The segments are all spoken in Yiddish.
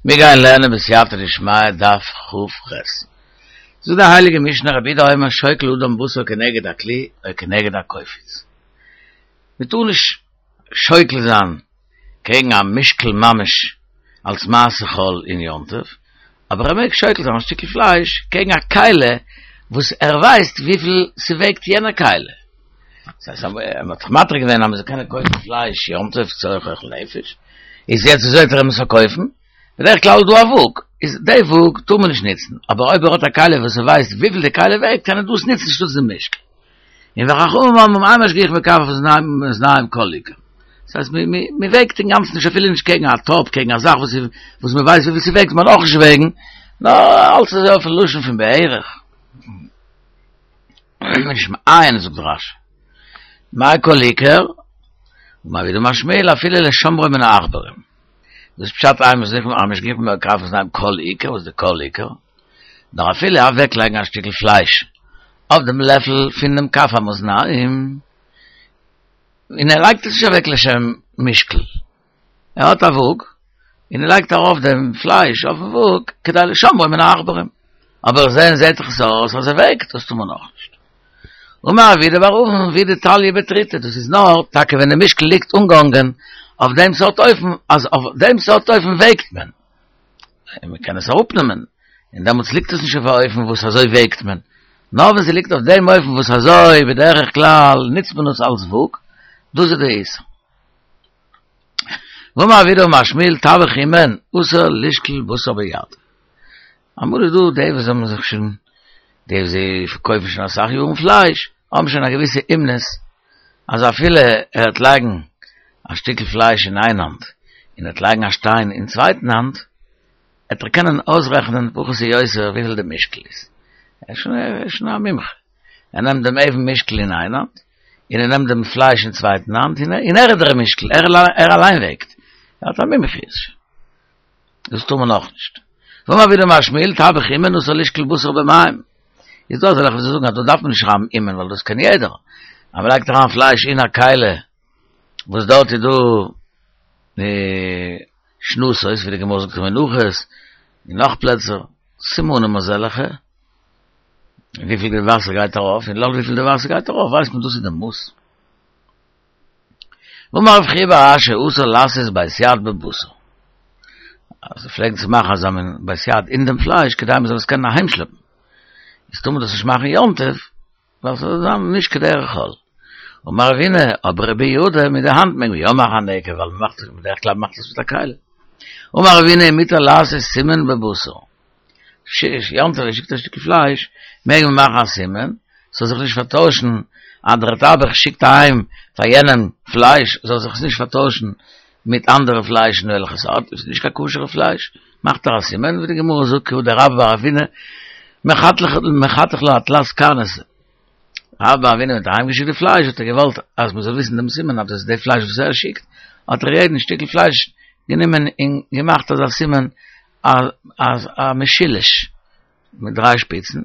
מיר גייען לערנען בסייעתא דשמיא דף כ"ח. זאגט די הייליגע משנה רבי יהודה אומר שוקל אדם בשר כנגד הכלי או כנגד הקופיץ. מען טאר נישט שוקל זיין קעגן א משקל ממש אלס מעשה חול אין יום טוב, אבער ער מעג שוקל זיין א שטיקל פלייש קעגן א כלי וואס ער ווייסט וויפיל ס'וועגט יענע כלי. דאס הייסט אז מען האט זיך מתיר געווען אז מען זאל קענען קויפן פלייש יום טוב צורך אוכל נפש, איז יעצט וויאזוי וועט ער אים עס פארקויפן? בדרך כלל איז דא א וואג, איז די וואג טאר מען נישט ניצן, אבער אויב ער האט א כלי וואס ער ווייסט וויפיל די כלי וועגט קען ער דאס ניצן שטאטס די משקל. און וחכמים אומרים אין משגיחין בכף המאזניים כל עיקר. דאס הייסט מען וועגט אינגאנצן נישט אפילו נישט קעגן א טאפ קעגן א זאך וואס וואס מען ווייסט וויפיל ס'וועגט מען אויך נישט וועגן, נאר אלץ אזוי אויפן לשון פון בערך. נישט מעיין זאגט רש"י. מאי כל עיקר? אמר רב יהודה אמר שמואל אפילו לשומרו מן העכברים. דאס פשט אין משגיחין בכף המאזניים כל עיקר, וואס איז די כל עיקר? נאר אפילו אוועקלייגן א שטיקל פלייש אויף דעם לעפל פונעם כף המאזניים, און ער לייגט עס נישט אוועק לשם משקל, ער האט א וואג, און ער לייגט ארויף דעם פלייש אויפן וואג כדי לשומרו מן העכברים, אבער זען זעט זיך עס אויס אז ער וועגט, דאס טאר מען אויך נישט. אמר רב יהודה בר אבין וידוי תליא בתריתא, דאס איז נאר טאקע ווען די משקל ליגט אנגעהאנגען אויף דעם סארט אופן, אז אויף דעם סארט אופן וועגט מען. און מען קען עס אראפנעמען, און דעמאלטס ליגט עס נישט אויף א אופן וואס אזוי וועגט מען, נאר ווען ס'ליגט אויף דעם אופן וואס אזוי בדרך כלל נוצט מען עס אלס וואג, דאס איז די איסור. ואמר רב יהודה אמר שמואל טבח אומן אסור לשקול בשר ביד. אמאל איז דא די וואס האבן זיך שוין, די וואס זיי פארקויפן שוין אסאך יארן פלייש, האבן שוין א געוויסע אומנות, אז אפילו ער וועט לייגן א שטיקל פלייש אין איין האנט, און ער וועט לייגן א שטיין אין צווייטן האנט, וועט ער קענען אויסרעכענען פחות או יותר וויפיל די משקל איז. ער איז שוין א מומחה. ער נעמט דעם אבן משקל אין איין האנט, און ער נעמט דעם פלייש אין צווייטן האנט, און ער איז דער משקל, ער אליין וועגט. ער האט א מומחיות שוין. דאס טאר מען אויך נישט. ואמר רב יהודה אמר שמואל טבח אומן אסור לשקול בשר במים. איז דא אזעלכע וואס זאגן אז דא דארף מען נישט שרייבן אומן ווייל דאס קען יעדער. אז מען לייגט אריין פלייש אין א כלי וואס דארט איז דא שנתות ווי די גמרא זאגט אין מנחות און נאך פלעצער סימנים אזעלכע וויפיל די וואסער גייט ארויף און לויט וויפיל די וואסער גייט ארויף ווייסט מען דאס איז די מאס. ואמר רב חייא בר אשי אסור לעשות בית יד בבשר. אז זיי פלעגן צו מאכן אזא מין בית יד אין דעם פלייש כדי מען זאל עס קענען אהיימשלעפן. איז טאר מען דאס נישט מאכן יום טוב, ווייל ס'זאל זיין נישט כדרך חול. אמר רבינא, אבער רבי יהודה מיט די האנט מעג מען יא מאכן א נקב, ווייל מען מאכט עס בדרך כלל מאכט עס מיט א כלי. אמר רבינא מותר לעשות סימן בבשר. יום טוב שיקט א שטיקל פלייש, מעג מען מאכן א סימן, ס'זאל זיך נישט פארטוישן, אז דער טבח שיקט אהיים פאר יענעם פלייש, זאל זיך עס נישט פארטוישן מיט אנדערע פליישן וועלכע ס'האט, איז נישט קיין כשר'ע פלייש, מאכט ער א סימן, ווי די גמרא זאגט כי הא דרבה בר אבינא מחתך לה אתלת קרנתא. רבה בר אבינא האט אהיימגעשיקט די פלייש האט ער געוואלט אז מ'זאל וויסן דעם סימן אז דאס איז די פלייש וואס ער שיקט, האט ער יעדן שטיקל פלייש גענומען און געמאכט אזא סימן אז א משולש מיט דריי שפיצן,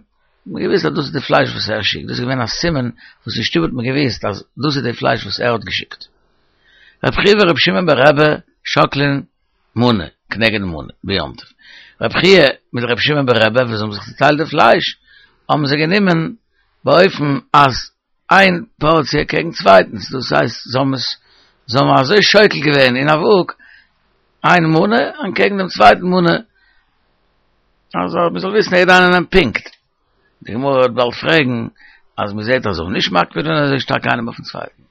מ'האט געוויסט אז דאס איז די פלייש וואס ער שיקט, דאס איז געווען א סימן וואס אין שטוב האט מען געוויסט אז דאס איז די פלייש וואס ער האט געשיקט. רב חייא ורב שמעון ברבי שקלין מנה כנגד מנה ביום טוב. רב חייא מיט רב שמעון ברבי ווען זיי האבן זיך צוטיילט די פלייש האבן זיי גענומען באופן אז איין פארציע קעגן צווייטנס, דאס הייסט זיי האבן עס זיי האבן אזוי שוקל געווען אין א וואג איין מנה אנטקעגן דעם צווייטן מנה אז מען זאל וויסן יעדער איינער נעמט פונקט. די גמרא וועט באלד פרעגן אז מען זעט אז זיי האבן נישט מקפיד געווען אזוי שטארק איינעם אויפן צווייטן.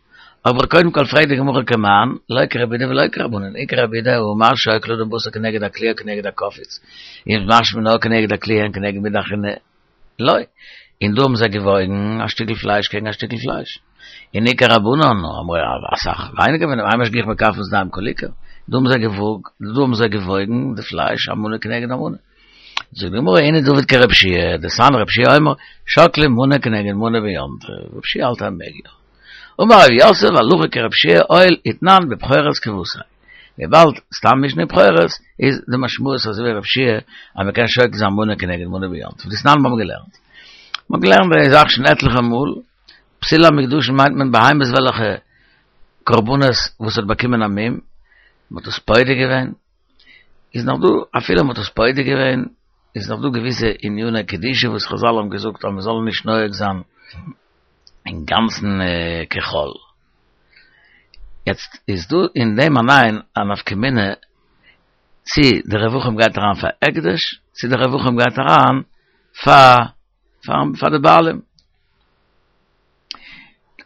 אבער קודם כל פרעגט די גמרא כמאן, לא כרבי יהודה ולא כרבנן, אי כרבי יהודה האמר שוקל אדם בשר כנגד הכלי או כנגד הקופיץ, איז משמע נאר כנגד הכלי אין כנגד מידי אחרינא לא, און דא האבן זיי געוואויגן א שטיקל פלייש קעגן א שטיקל פלייש. און אי כרבנן אמרי אסאך ווייניגער פון דעם, אין משגיחין בכף המאזניים כל עיקר, דא האבן זיי געוואג דא האבן זיי געוואויגן די פלייש א מנה כנגד א מנה. זאגט די גמרא הנה דעבד כרבי יהושע, דתנן רבי יהושע אומר, שוקלים מנה כנגד מנה ביום טוב, רבי יהושע האלט אז מ'מעג יא. אמר רב יוסף הלכה כרבי יהושע הואיל ותנן בבכורות כוותיה. וויבאלד סתם משנה אין בכורות איז די משמעות אזוי ווי רבי יהושע אז מ'קען שוקל זיין מנה כנגד מנה ביום טוב. דתנן מ'האבן געלערנט. מ'האט געלערנט די זאך שוין עטליכע מאל, פסולי המוקדשין מיינט מען בהמות וועלכע קרבנות וואס האט באקומען א מום, מ'האט עס פודה געווען. איז נאך דא, אפילו מ'האט עס פודה געווען, איז נאך דא געוויסע עניני קדושה וואס חזל האבן געזאגט אז מ'זאל נישט נוהג זיין אינגאנצן כחול. יעצט איז דא אין דעם אליין א נפקא מינה צי די רווחים גייט אריין פאר הקדש, צי די רווחים גייט אריין פאר פאר די בעלים.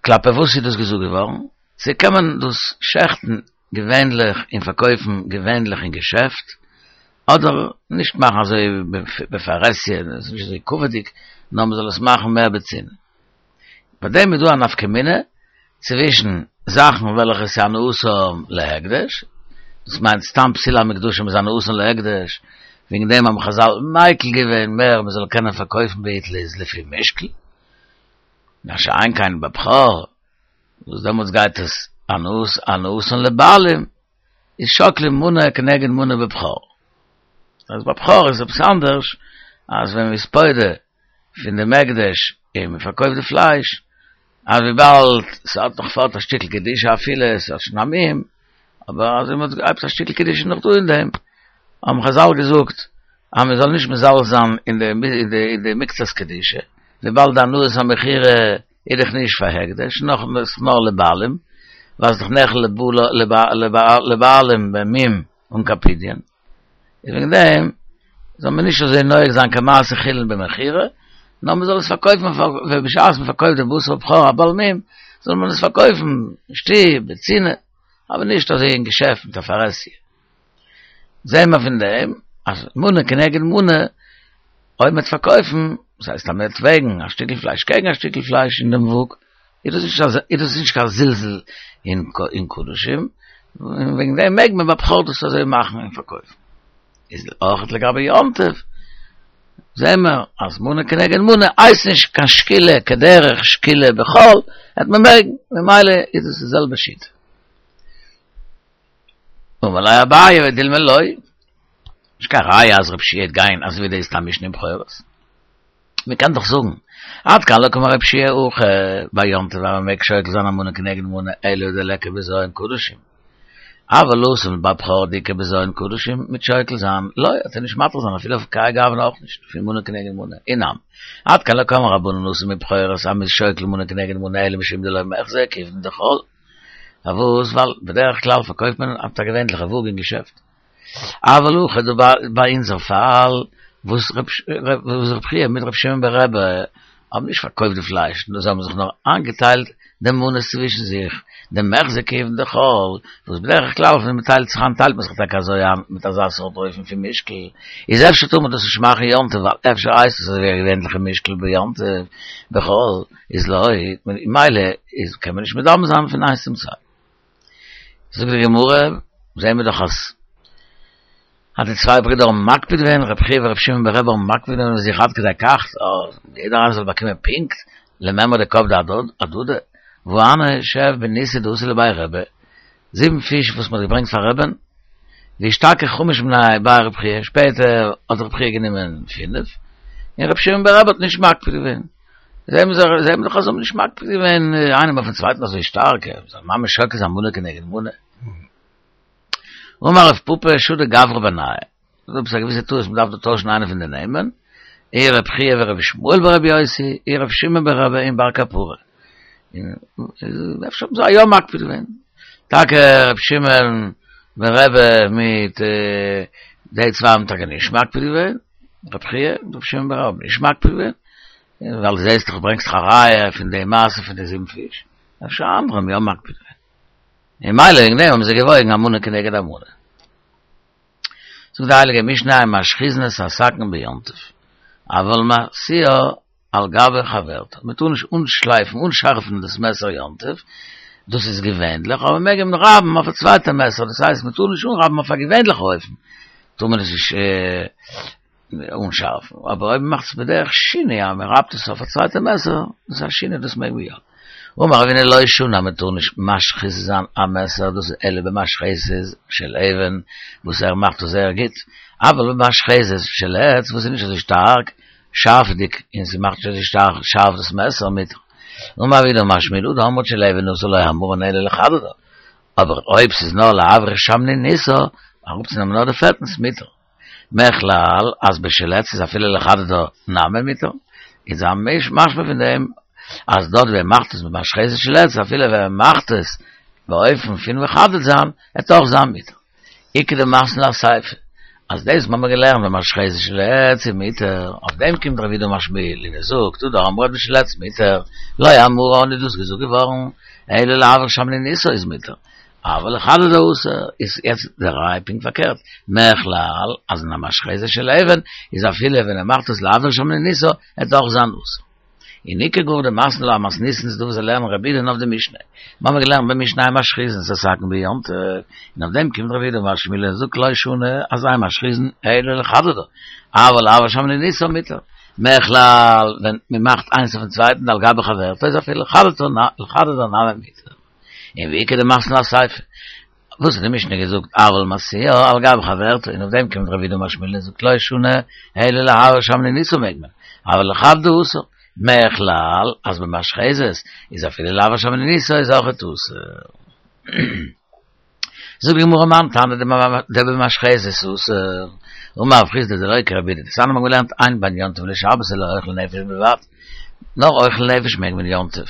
כלפי וואס איז דאס געזאגט געווארן? צו קען מען דאס שעכטן געווענליך און פארקויפן געווענליך אין געשעפט, אדער נישט מאכן אזוי בפרהסיא, עס איז נישט אזוי כבוד'יג, נאר מען זאל עס מאכן מער בצנעה. ביי דעם איז דא א נפקא מינה צווישן זאכן וועלכע איז הנאתם להקדש, דאס מיינט סתם פסולי המוקדשים איז הנאתן להקדש, וועגן דעם האבן חזל מיקל געווען מער מען זאל קענען פארקויפן בעיטליז לפי משקל, מה שאין כן בבכור, וואס דעמאלטס גייט עס הנאת הנאתן לבעלים, איז שוקלים מנה כנגד מנה בבכור. אז בבכור איז עפעס אנדערש, אז ווען מ'איז פודה פון דעם הקדש און מ'פארקויפט די פלייש, אז וויבאלד ס'האט נאך פארט א שטיקל קדושה אפילו ס'האט שוין א מום, אבער אז מ'האט עפעס א שטיקל קדושה נאך דא אין דעם, האבן חזל געזאגט אז מ'זאל נישט מזלזל זיין אין די אין די מקצת קדושה, וויבאלד די הנאת המכירה איז דאך נישט פאר הקדש, נאך ס'איז נאר לבעלים, ווייל ס'איז דאך נאכל לבעלים במום אן קיין פדיון, איז וועגן דעם זאל מען נישט אזוי נוהג זיין כמעשה חולין במכירה, נאר מען זאל עס פארקויפן ווען בשעת מען פארקויפט די בשר בכור א בעל מום, זאל מען עס פארקויפן שטיל בצנעה, אבער נישט אזוי אין געשעפט מיט א פרהסיא. זעהן מיר פון דעם אז מנה כנגד מנה, אויב מ'וועט פארקויפן, דאס הייסט אז מ'וועט וועגן א שטיקל פלייש קעגן א שטיקל פלייש אין דעם וואג, איז דאס נישט איז דאס נישט קיין זלזול אין קדשים, און וועגן דעם מעג מען ביי בכור דאס אזוי מאכן און פארקויפן. איז אויך לגבי יום טוב, זעהן מיר אז מנה כנגד מנה הייסט נישט קיין שקילה כדרך שקילה בחול, וועט מען מעגן, ממילא איז דאס די זעלבע שיטה. אמר ליה אביי ודילמא לא, נישט קיין ראיה אז רב שיע וועט גיין אזוי ווי די סתם משנה אין בכורות. מען קען דאך זאגן, עד כאן לא קאמר רב שיע הכא ביי יום טוב אז מען מעג שוקל זיין א מנה כנגד מנה אלא דליכא בזיון קדשים. אבל התם ביי בכור דאיכא בזיון קדשים מיט שוקל זיין לא, וועט ער נישט מתיר זיין אפילו אויף כהאי גוונא אויך נישט, פון מנה כנגד מנה, אי נמי. עד כאן לא קאמרי רבנן התם בבכורות אז מ'איז שוקל מנה כנגד מנה אלא משום דלא מיחזי כיוון דחול. פארוואס? ווייל בדרך כלל פארקויפט מען אויף א געווענליכע וואג אין געשעפט. אבל הכא דא ביי אונזער פאל, וואס רב חייא מיט רב שמעון ברבי האבן נישט פארקויפט די פלייש, נאר זיי האבן זיך נאר איינגעטיילט די מנות צווישן זיך, דמיחזי כיוון דחול, וואס בדרך כלל ווען מען טיילט זיך איין טיילט מען זיך טאקע אזוי איין מיט אזא סארט אופן פון משקל, איז אפשר טאר מען דאס נישט מאכן יום טוב ווייל אפשר הייסט עס אזוי ווי א געווענליכע משקל ביום טוב בחול. איז לא, ממילא איז קען מען נישט מדמה זיין פון איינס צום צווייטן. זאגט די גמרא, זעהן מיר דאך אז אז די צוויי ברידער האבן מקפיד געווען, רבי חייא ורבי שמעון ברבי האבן מקפיד געווען אויף זיך עד כדי כך, אז יעדער איינער זאל באקומען פונקט למימרא דקפדי אהדדי, והא הני שב בניסא דאתו לבי רבי, זיבן פיש וואס מען האט געברענגט פאר רבי'ן, ואשתכח חמש מינייהו בי רב חייא, שפעטער האט רב חייא גענומען פינף, און רבי שמעון ברבי האט נישט מקפיד געווען. זיי האבן זיך, זיי האבן דאך אזוי נישט מקפיד געווען איינעם אויפן צווייטן אזוי שטארק, זיי ממש שוקל זיין מנה כנגד מנה. אמר רב פפא שדי גברא בינייהו, דא עפעס א געוויסע טעות, מ'דארף דא טוישן איינע פון די נעמען, אי רב חייא ורבי ישמעאל ברבי יוסי, אי רב שמעון ברבי און בר קפרא. און אפשר האבן זיי יא מקפיד געווען. טאקע רב שמעון ברבי מיט די צוויי האבן טאקע נישט מקפיד געווען, רב חייא און רב שמעון ברבי האבן נישט מקפיד געווען, ווייל זעהסט דאך ברענגסט דאך א ראיה פון די מעשה פון די זיבן פיש, אפשר אנדערע האבן יא מקפיד געווען. און ממילא וועגן דעם האבן זיי געוואויגן א מנה כנגד א מנה. זאגט די הייליגע משנה אין משחיזין את הסכין ביום טוב, אבל משיאה על גבי חברתה, מען טאר נישט אנשלייפן, אנשארפן דאס מעסער יום טוב, דאס איז געווענליך, אבער מען מעג אים רייבן אויף א צווייטע מעסער, דאס הייסט מען טאר נישט אנרייבן אויף א געווענליכע אופן, טאר מען עס נישט אנשארפן, אבער אויב מען מאכט עס בדרך שינוי אז מען רייבט עס אויף א צווייטע מעסער, דאס איז א שינוי דאס מעג מען יא. אמר רבינא לא שנו אז מען טאר נישט משחיז זיין א מעסער דאס איז אלא במשחזת של אבן וואס ער מאכט עס זייער גוט, אבל במשחזת של עץ וואס איז נישט אזוי שטארק שארפדיג און ס'מאכט נישט אזוי שטארק שארף דאס מעסער מיט אמר רב יהודה אמר שמואל הא דאמרת של אבן עשוי לא אמרן אלא לחדדה, אבער אויב ס'איז נאר להבריך שמניניתא. אראפצונעמען נאר די פעטנס מותר. מכלל אז בשל עץ איז אפילו לחדדה נמי מותר, איז א משמע פון דעם אז דארט ווי ער מאכט עס במשחזת של עץ אפילו ווען ער מאכט עס באופן פון מחדד זיין וועט אויך זיין מותר. איכא דמתני לה אסיפא, אז דאס האבן מיר געלערנט במשחזת של עץ איז מותר, אויף דעם קומט רב יהודה אמר שמואל און ער זאגט הא דאמרת בשל עץ מותר, לא אמרן איז דאס געזאגט געווארן אלא להבעיר שמניניתא איז מותר, אבל לחדדה אסור, איז יעצט די ראיה פונקט פארקערט, מכלל אז אין א משחזת של אבן איז אפילו ווען ער מאכט עס להבעיר שמניניתא וועט אויך זיין אסור. און איכא גאר דמתני לה אמתניתין איז דא וואס זיי לערנען רבי יהודה'ן אויף די משנה. מיר האבן געלערנט במשנה אין משחיזין את הסכין ביום טוב, און אויף דעם קומט רב יהודה אמר שמואל און זאגט לא שנו אז אין משחיזין אלא לחדדה, אבל להבעיר שמניניתא מותר. מכלל ווען מען מאכט איינס אויפן צווייטן על גבי חברתו איז אפילו לחדדה נמי מותר. און ואיכא דמתני לה אסיפא. וואס האט די משנה געזאגט אבל משיאה על גבי חברתו און אויף דעם קומט רב יהודה אמר שמואל און זאגט לא שנו אלא להבעיר שמניניתא מעג מען אבל לחדדה אסור מכלל אז במשחזת איז אפילו להבעיר שמניניתא איז אויכעט אסור. זאגט די גמרא מאן תנא דבמשחזת אסור אמר רב חסדא דלא כרבי יהודה דתניא מ'האט געלערנט אין בין יום טוב לשבת אלא אוכל נפש בלבד נאר אוכל נפש מעג מען יום טוב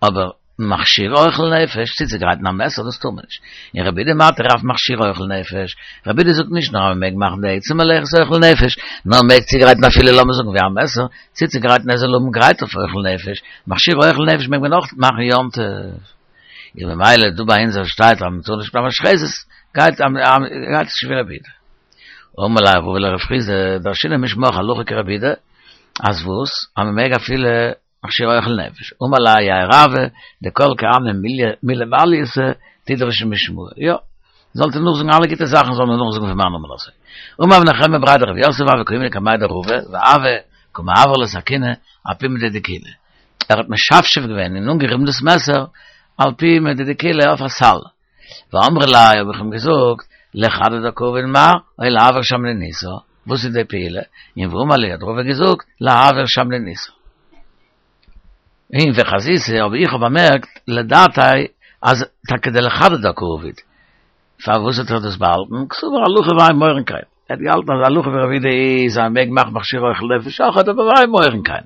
אבער מכשיר אוכל נפש, צוצוגרייטן א מעסער דאס טאר מען נישט. און רבי יהודה מתיר אף מכשיר אוכל נפש, רבי יהודה זאגט נישט נאר אז מען מעג מאכן די עצם מלאכת אוכל נפש, נאר מען מעג צוגרייטן אפילו לאמיר זאגן ווי א מעסער, צוצוגרייטן ער זאל האבן גרייט אויף אוכל נפש, מכשיר אוכל נפש מעג מען אויך מאכן יום טוב. און ממילא דא ביי אונז שטייט אז מען טאר נישט ביי משחזת, גייט גייט עס נישט ווי רבי יהודה. אמר ליה רבא לרב חסדא, דרשינן משמך הלכה כרבי יהודה, אז וואס? אז מען מעג אפילו מכשיר אוכל נפש, אמר ליה האי רבא, דכל כעלמא מילי מעלייתא תדרשו משמאי, יא, זאלט איר נאכזאגן אלע גוטע זאכן זאל מען נאכזאגן פון מיין נאמען אזוי. אמר רב נחמיה בריה דרב יוסף הוה קאימנא קמיה דרבא, והוה קא מעבר ליה סכינא אפומא דדיקולא, ער האט משפשף געווען און אנגעריבן דאס מעסער על פומא דדיקולא אויף א סל, ואמרי ליה האב איך אים געזאגט, לחדדה קעביד מר, או להבעיר שמניניתא, וואס איז די פעולה? און ואמר לי האט רבא געזאגט, להבעיר שמניניתא. און וחזיתיה אבער איך האב באמערקט לדעתיה אז טאקע דלחדדה קעביד. פארוואס האט ער דאס באהאלטן? קסבר הלכה ואין מורין כן. ער האט געהאלטן אז הלכה ווי רבי יהודה איז אז מען מעג מאכן מכשיר אוכל נפש אויכעט אבער ואין מורין כן.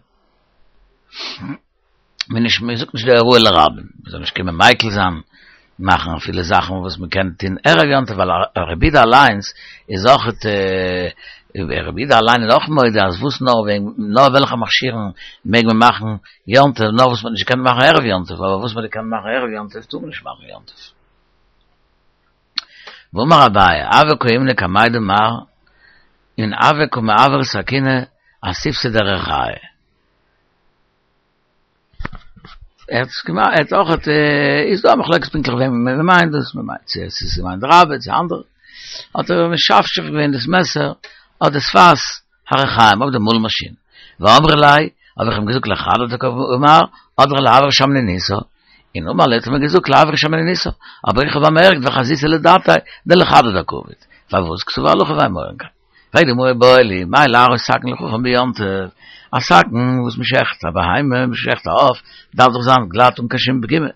מען נישט מען זאגט נישט די הוראה לרבים, מען זאל נישט קומען מיקל זיין, מאכן אפילו זאכן וואס מען קען טון ערב יום טוב, ווייל רבי יהודה אליינס איז אויך רבי יהודה אליין איז אויך מודה אז וואס נאר ווען נאר וועלכע מכשירים מעג מען מאכן יום טוב, נאר וואס מען האט נישט געקענט מאכן ערב יום טוב, אבער וואס מען האט געקענט מאכן ערב יום טוב טאר מען נישט מאכן יום טוב. ואמר אביי, הוה קאימנא קמיה דמר, און הוה קא מעבר סכינא אסיפתא דריחיא. ער האט עס געמאכט, ער האט אויך, איז דא א מחלוקת פונקטליך וועם מען מיינט דאס, מען מיינט צו עס איז געמיינט רבה צו אנדערע, האט ער משפשף געווען דאס מעסער אדער שפת הריחיים אויף די מאל מאשין, ואמרי ליה, האב איך אים געזאגט לחדדה קעביד מר, אדער להבעיר שמניניתא, און אמר לי האט ער מיר געזאגט להבעיר שמניניתא, אבער איך האב באמערקט וחזיתיה לדעתיה דלחדדה קעביד, פארוואס קסבר הלכה ואין מורין כן. פרעגט די גמרא איבעיא להו, מהו להראות סכין לחכם ביום טוב, א סכין וואס מען שעכט א בהמה, מען שעכט א עוף, דארף דאך זיין גלאט אן קיין שום פגימה,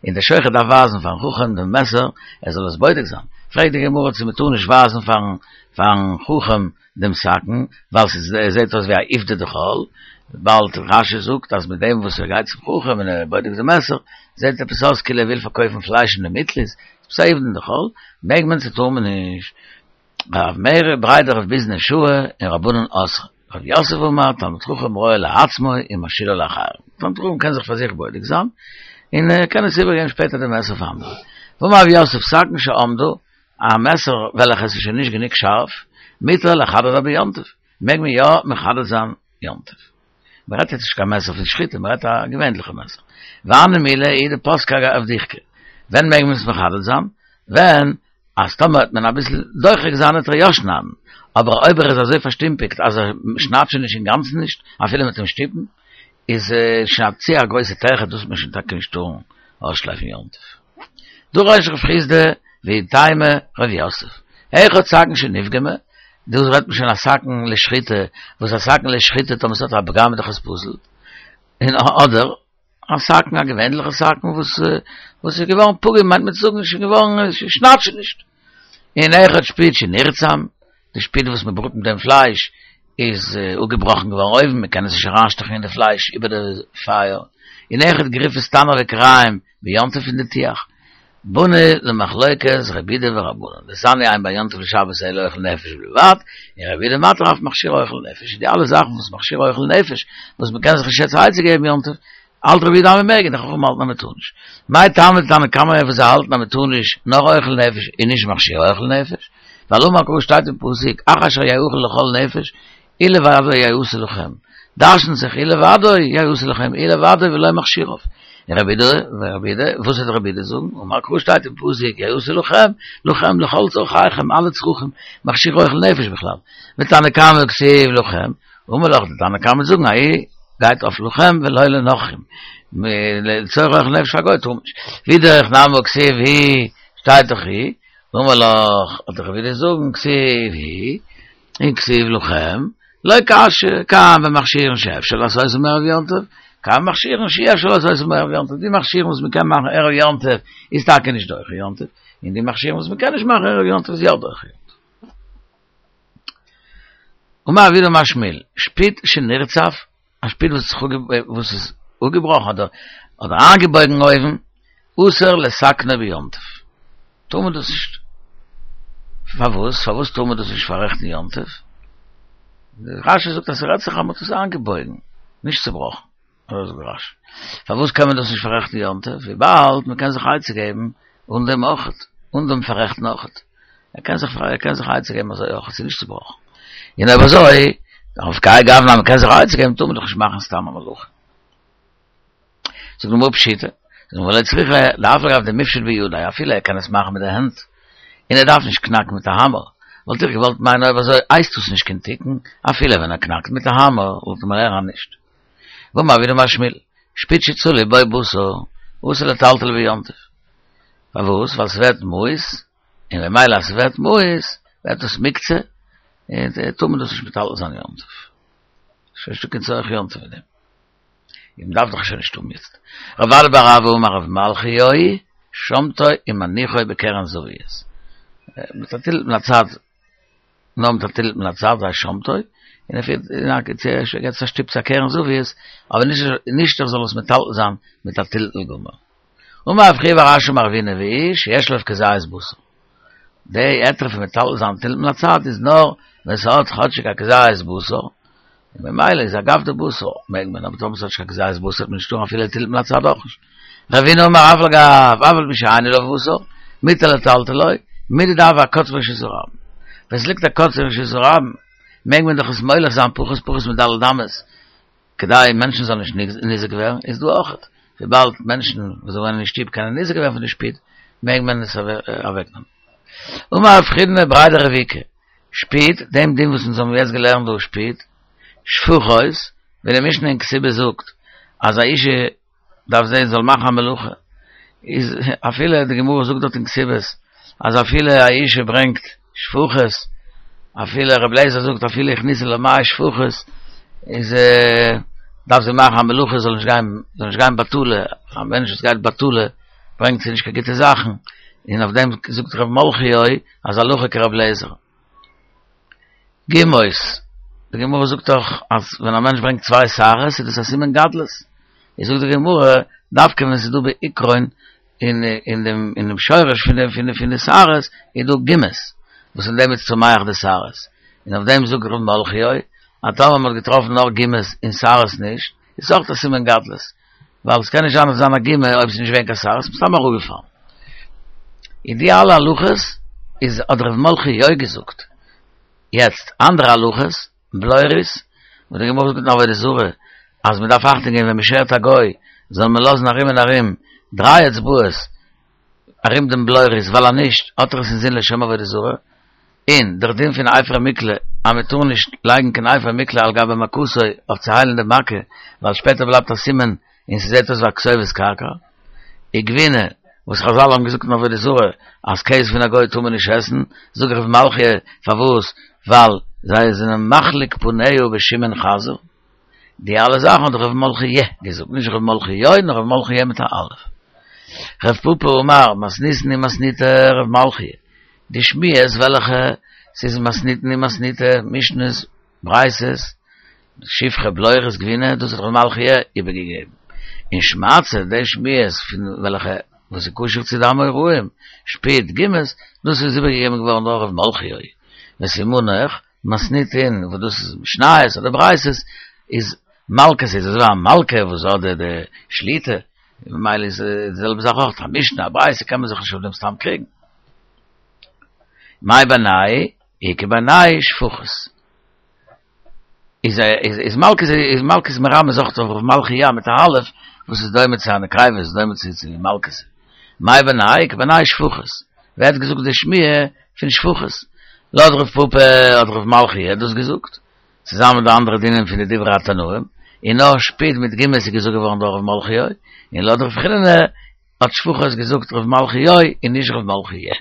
און דער שוחט דארף ווייזן פארן חכם דעם מעסער ער זאל עס בודק זיין, פרעגט די גמרא צו מען טאר נישט ווייזן פארן פארן חכם דעם סכין, ווייל ס'זעט אויס ווי א עובדא דחול, וויבאלד רש"י זאגט אז מיט דעם וואס ער גייט צום חכם און ער בודק'ט דעם מעסער, זעט עפעס אויס כאילו ער וויל פארקויפן פלייש אין די מיטל איסט, ס'איז א עובדא דחול, מעג מען צו טאר מען נישט. רב מרי בריה דרב ביזנא שהי און רבנן אסרי. רב יוסף אמר תלמיד חכם רואה לעצמו ומשאילה לאחרים. תלמיד חכם קען זיך פאר זיך בודק זיין, און ער קען עס איבערגעבן שפעטער די מעסער פאר אנדערע. ואמר רב יוסף סכין שאמדה, א מעסער וועלכע עס איז שוין נישט גענוג שארף, מותר לחדדה ביום טוב, מעג מען יא מחדד זיין יום טוב. מען רעדט יעצט נישט קיין מעסער פון שחיטה, מען רעדט א געווענליכע מעסער. והני מילי הוא דפסקה אבדיחקא. ווען מעג מען עס מחדד זיין? ווען אז טאמער וועט מען אביסל דוחק זיין וועט ער יא שניידן, אבער אויב ער איז אזוי פארשטומפיגט אז ער שניידט שוין נישט אינגאנצן נישט, אפילו מיט אים שטופן, איז שוין א צו א גרויסע טרחה, דאס וועט מען שוין טאקע נישט טארן אויסשלייפן יום טוב. דרש רב חסדא ואיתימא רב יוסף, אחד סכין שנפגמה, דא רעדט מען שוין א סכין לשחיטה, וואס א סכין לשחיטה טאמער ס'האט א פגם איז דאך עס פסול, און אדער א סכין א געווענליכע סכין וואס וואס איז געווארן פגום מיינט מען צו זאגן שוין געווארן שניידט שוין נישט. און אויכעט שפיד שנרצם, די שפיד וואס מען בראט מיט דעם פלייש איז אפגעבראכן געווארן אויבן, מען קען עס נישט אריינשטעכן אין די פלייש איבער די פייער, און אויכעט גריפת תנור וכירים ביום טוב פון די טיח. באנו למחלוקת רבי יהודה ורבנן, דתניא אין בין יום טוב לשבת אלא אוכל נפש בלבד, און רבי יהודה מתיר אף מכשיר אוכל נפש, די אלע זאכן וואס מכשיר אוכל נפש, וואס מען קען זיך נישט יעצט עצה געבן יום טוב, האלט רבי יהודה אז מען מעג און די חכמים האלטן אז מען טאר נישט. מאי טעמא דתנא קמא וואס זיי האלטן אז מען טאר נישט נאר אוכל נפש און נישט מכשיר אוכל נפש? ווייל אמר קרא שטייט אין פסוק אך אשר יאכל לכל נפש הוא לבדו יעשה לכם, דרש'נט זיך הוא לבדו יעשה לכם הוא לבדו ולא מכשיריו. און רבי יהודה ורבי יהודה וואס וועט רבי יהודה זאגן? אמר קרא שטייט אין פסוק יעשה לכם לכם לכל צרכיכם אלע צרכים מכשיר אוכל נפש בכלל. ותנא קמא כתיב לכם אמר לך די תנא קמא זאגן ההוא גייט אויף לכם ולא לנכרים לצורך אוכל נפש פאר גוי טאר מען נישט ואידך נמי כתיב הוא שטייט דאך הוא אמר לך וועט רבי יהודה זאגן כתיב הוא און כתיב לכם לא קשיא כאן במכשירין שאפשר לעשותם מערב יום טוב כאן במכשירין שאי אפשר לעשותם מערב יום טוב די מכשירים וואס מען קען מאכן ערב יום טוב איז טאקע נישט דוחה יום טוב און די מכשירים וואס מען קען נישט מאכן ערב יום טוב איז יא דוחה יום טוב. אמר רב יהודה אמר שמואל, שפיד שנרצף, א שפיד וואס וואס איז אפגעבראכן אדער אדער איינגעבויגן אויבן, אסור לתקנו ביום טוב. טאר מען דאס נישט. פארוואס? פארוואס טאר מען דאס נישט פאררעכטן יום טוב? רש"י זאגט אז ס'רעדט זיך אז מ'האט עס איינגעבויגן, נישט צובראכן. אזוי זאגט רש"י. פארוואס קען מען דאס נישט פאררעכטן יום טוב? וויבאלד מען קען זיך עצה געבן אן דעם אויכעט, אן דעם פאררעכטן אויכעט. ער קען זיך ער קען זיך עצה געבן אזוי אויכעט, ס'איז נישט צובראכן. און אויב אזוי, אויף כהאי גוונא אז מען קען זיך עצה געבן טאר מען דאך נישט מאכן סתם א מלאכה. זאגט די גמרא פשיטא, זאגט די גמרא לא צריכא דאף על גב דמיפשט בידיה, אפילו ער קען עס מאכן מיט די הענט, און ער דארף נישט קנאקן מיט א האמער, וואלט איך געוואלט מיינען אויב אזוי הייסט דאס נישט קיין תיקון, אפילו ווען ער קנאקט מיט א האמער, וואלט מען לערנען נישט. ואמר רב יהודה אמר שמואל, שפיד שצלי בו בשר, אסור לטלטלו ביום טוב. פארוואס? ווייל ס'ווערט מיאוס, און ממילא אז ס'ווערט מיאוס, ווערט דאס מוקצה, און טאר מען דאס נישט מטלטל זיין יום טוב. ס'איז נישטא קיין צורך יום טוב אין דעם. און מ'דארף דאך שוין נישט האבן יעצט. רב אדא בר אהבה אמר רב מלכי', שומטו ומניחו בקרן זווית. מיט א טלטול מן הצד נאר מיט א טלטול מן הצד זיי שומטו, און ער פירט און א צו ער געבט עס א שטופ צו א קרן זווית, אבער נישט נישט ער זאל עס מטלטל זיין מיט א טלטול גמור. אמר רב חייא בר אשי אמר רב הונא והוא שיש עליו כזית בשר. די היתר פון מטלטל זיין טלטול מן הצד איז נאר ווען ס'האט כאטשיג א כזית בשר, און ממילא איז אגב די בשר מעג מען, אבער טאמער ס'האט נישט קיין כזית בשר וועט מען נישט טארן אפילו טלטול מן הצד אויך נישט. רבינא אמר אף על גב, אף על פי שאין עליו בשר, מותר לטלטלו, מידי דהוה אקוץ ברשות הרבים. ווען ס'ליגט א קוץ אין רשות הרבים, מעג מען דאך עס מוליך זיין פחות פחות מד' אמות, כדי מענטשן זאלן נישט ניזוק ווערן, איז דא אויכעט, וויבאלד מענטשן וואס וואוינען אין שטוב קענען ניזוק ווערן פון די שפיד, מעג מען עס אוועקנעמען. אמר רב חידנא בריה דרב איקא, שפיד, דעם דין וואס אונז האבן יעצט געלערנט דא שפיד, שפוכות, ווי די משנה אין כתובה זאגט אז א אישה דארף זען זאל מאכן א מלאכה, איז אפילו די גמרא זאגט דארט אין כתובות אז אפילו א אישה ברענגט שפוכות, אפילו רבי אליעזר זאגט אפילו הכניסה לה מאה שפוכות, איז דארף זי מאכן א מלאכה זאל נישט גיין זאל נישט גיין בטלה, א מענטש וואס גייט בטלה ברענגט זי נישט קיין גוטע זאכן, און אויף דעם זאגט ר' מלכיאל אז הלכה כרבי אליעזר. גומות, די גמרא זאגט דאך אז ווען א מענטש ברענגט צוויי שערות איז דאס א סימן גדלות, איז זאגט די גמרא, דווקא ווען ס'איז דא בעיקרון אין אין דעם אין דעם שורש פון די פון די פון די שערות איז דא גומות, וואס אין דעם איז צומח די שערות, און אויף דעם זאגט ר' מלכיאל, אז טאמער מ'האט געטראפן נאר גומות און שערות נישט, איז אויך א סימן גדלות, ווייל עס קען נישט זיין אז עס זיין א גומא אויב עס איז נישט געווען קיין שערות, מסתם אראפגעפאלן. און די אלע הלכות איז האט ר' מלכיאל געזאגט. יעצט אנדערע הלכות, בלורית, וואס די גמרא זאגט אין עבודה זרה, אז מען דארף אכטונג געבן ווען מען שערט א גוי, זאל מען לאזן ארום און ארום דריי אצבעות ארום דעם בלורית, ווייל אז נישט האט ער עס אינזין לשם עבודה זרה. און דער דין פון אפר מקלה אז מען טאר נישט לייגן קיין אפר מקלה על גבי מכתו אויף צו היילן די מכה, ווייל שפעטער בלייבט א סימן און ס'זעט אויס ווי א כתובת קרקע. וגבינה, וואס חזל האבן געזאגט אין עבודה זרה אז קעז פון א גוי טאר מען נישט עסן, זאגט ר' מלכיאל פארוואס, ווייל זיי זענען מחליק פניה בשמן חזיר. די אלע זאכן האט ר' מלכי' געזאגט, נישט ר' מלכיאל נאר ר' מלכי' מיט א אלף. ר' פפא אמר, מתניתין היא מתניתא ר' מלכי'. די שמועות וועלכע ס'איז מתניתין און מתניתא, משניות, ברייתות, שפחה בלורית גבינה, דאס האט ר' מלכי' איבערגעגעבן. און שמעתתא, די שמועות פון וועלכע וואס איז קשור צו די אמוראים, שפוד, גומות, דאס איז איבערגעגעבן געווארן דורך ר' מלכי'. וסימנך, מתניתין, וואס דאס איז משניות אדער ברייתות, איז מלכתא, איז אזוי ווי א מלכה וואס האט די די שליטה, ממילא איז די זעלבע זאך אויך, א משנה, א ברייתא קען מען זיך נישט אויף דעם סתם קריגן. מאי בינייהו? איכא בינייהו שפחות. איז איז איז מלכות איז מלכות מרמז אויך אויף מלכיה מיט א אלף וואס איז דומה צו א נקבה איז דומה צו צו מלכות. מאי בינייהו? איכא בינייהו שפחות. ווער האט געזאגט די שמועה פון שפחות? לויט רב פפא האט רב מלכיה דאס געזאגט, צוזאמען מיט די אנדערע דינים פון די דברי התנאים, און נאר שפוד מיט גומות איז געזאגט געווארן דורך רב מלכיה, און לויט רב חיננא האט שפחות געזאגט רב מלכיה און נישט רב מלכיה.